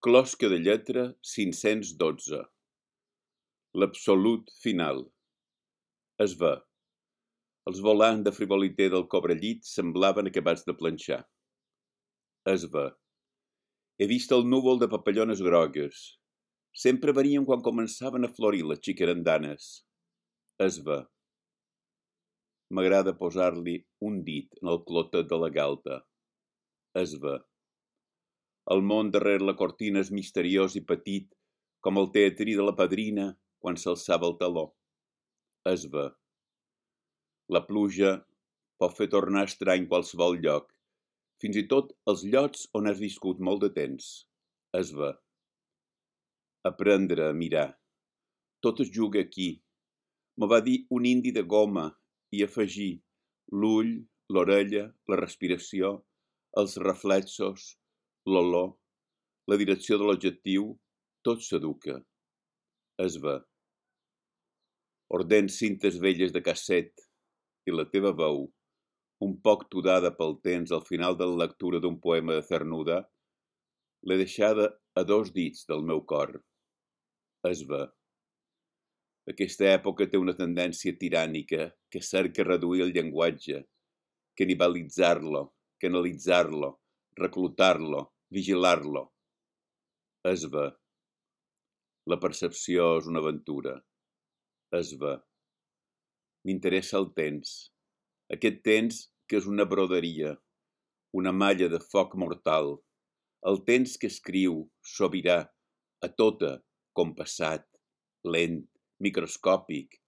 Closca de lletra 512. L'absolut final. Es ve. Els volants de frivoliter del cobrellit semblaven acabats de planxar. Es ve. He vist el núvol de papallones grogues. Sempre venien quan començaven a florir les xicarandanes. Es ve. M'agrada posar-li un dit en el clotet de la galta. Es ve. El món darrere la cortina és misteriós i petit, com el teatrí de la padrina quan s'alçava el taló. Es ve. La pluja pot fer tornar estrany qualsevol lloc, fins i tot els llocs on has viscut molt de temps. Es ve. Aprendre a mirar. Tot es juga aquí. Me va dir un indi de goma i afegir l'ull, l'orella, la respiració, els reflexos, l'olor, la direcció de l'objectiu, tot s'educa. Es ve. Ordens cintes velles de casset i la teva veu, un poc tudada pel temps al final de la lectura d'un poema de Cernuda, l'he deixada a 2 dits del meu cor. Es ve. Aquesta època té una tendència tirànica que cerca reduir el llenguatge, canibalitzar-lo, canalitzar-lo, reclutar-lo, vigilar-lo. Es ve. La percepció és una aventura. Es ve. M'interessa el temps. Aquest temps que és una broderia, una malla de foc mortal. El temps que escriu, sobirà, a tota, compassat, lent, microscòpic.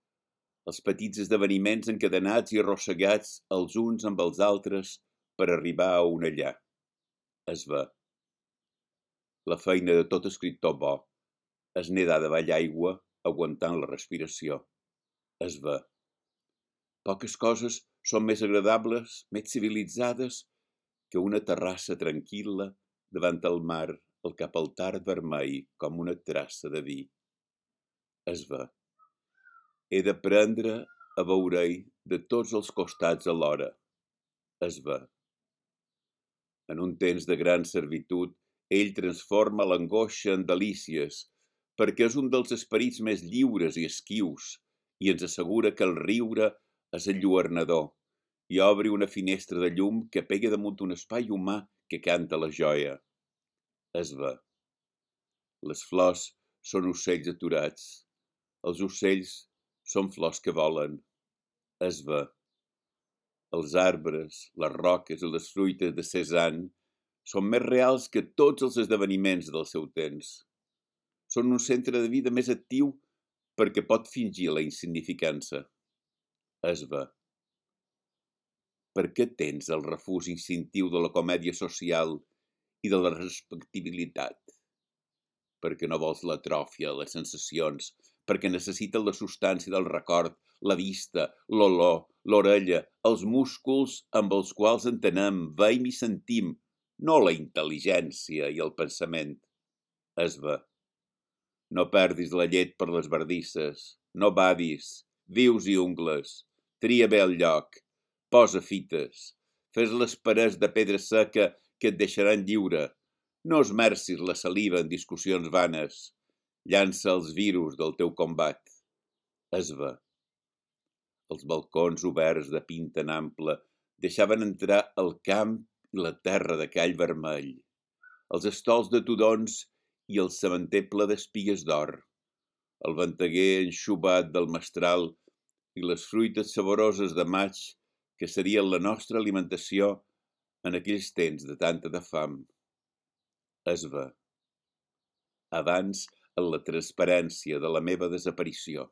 Els petits esdeveniments encadenats i arrossegats els uns amb els altres per arribar a un allà. Es ve. La feina de tot escriptor bo és nedar davall aigua aguantant la respiració. Es ve. Poques coses són més agradables, més civilitzades que una terrassa tranquil·la davant el mar, el cap al tard vermell com una traça de vi. Es ve. He d'aprendre a veure-hi de tots els costats alhora. Es ve. En un temps de gran servitud, ell transforma l'angoixa en delícies, perquè és un dels esperits més lliures i esquius i ens assegura que el riure és enlluernador i obri una finestra de llum que pega damunt un espai humà que canta la joia. Es ve. Les flors són ocells aturats. Els ocells són flors que volen. Es ve. Els arbres, les roques i les fruites de Cézanne són més reals que tots els esdeveniments del seu temps. Són un centre de vida més actiu perquè pot fingir la insignificança. Es ve. Per què tens el refús instintiu de la comèdia social i de la respectabilitat? Perquè no vols l'atròfia, les sensacions, perquè necessites la substància del record, la vista, l'olor, l'orella, els músculs amb els quals entenem, veiem i sentim, no la intel·ligència i el pensament. Es ve. No perdis la llet per les bardisses, no badis, vius i ungles, tria bé el lloc, posa fites, fes les parets de pedra seca que et deixaran lliure, no esmercis la saliva en discussions vanes, llança els virus del teu combat. Es ve. Els balcons oberts de pinta en ample deixaven entrar el camp i la terra de call vermell, els estols de tudons i el sementer ple d'espigues d'or, el venteguer enxubat del mestral i les fruites saboroses de maig que serien la nostra alimentació en aquells temps de tanta de fam. Es ve. Abans en la transparència de la meva desaparició.